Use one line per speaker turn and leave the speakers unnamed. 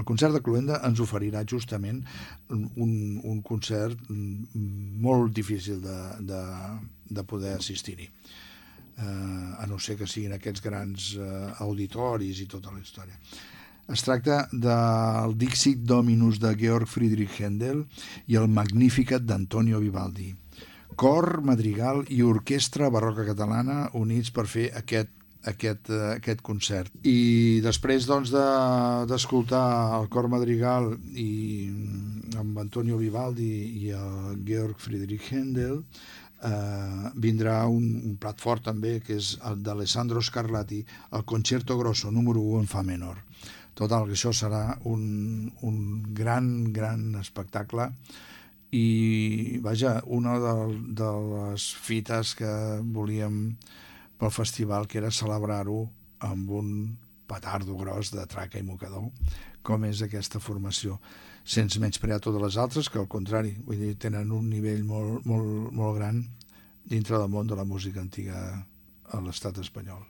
El concert de Cluenda ens oferirà justament un concert molt difícil de poder assistir-hi, a no ser que siguin aquests grans auditoris i tota la història. Es tracta del Dixit Dominus de Georg Friedrich Händel i el Magnificat d'Antonio Vivaldi. Cor, madrigal i orquestra barroca catalana units per fer aquest concert. I després doncs, d'escoltar el cor madrigal i amb Antonio Vivaldi i el Georg Friedrich Händel, vindrà un plat fort també, que és el d'Alessandro Scarlatti, el Concerto Grosso número 1 en fa menor. Total, que això serà un gran espectacle i, vaja, una de les fites que volíem pel festival, que era celebrar-ho amb un petardo gros de traca i mocador, com és aquesta formació, sense menysprear totes les altres, que al contrari, vull dir, tenen un nivell molt gran dintre del món de la música antiga a l'estat espanyol.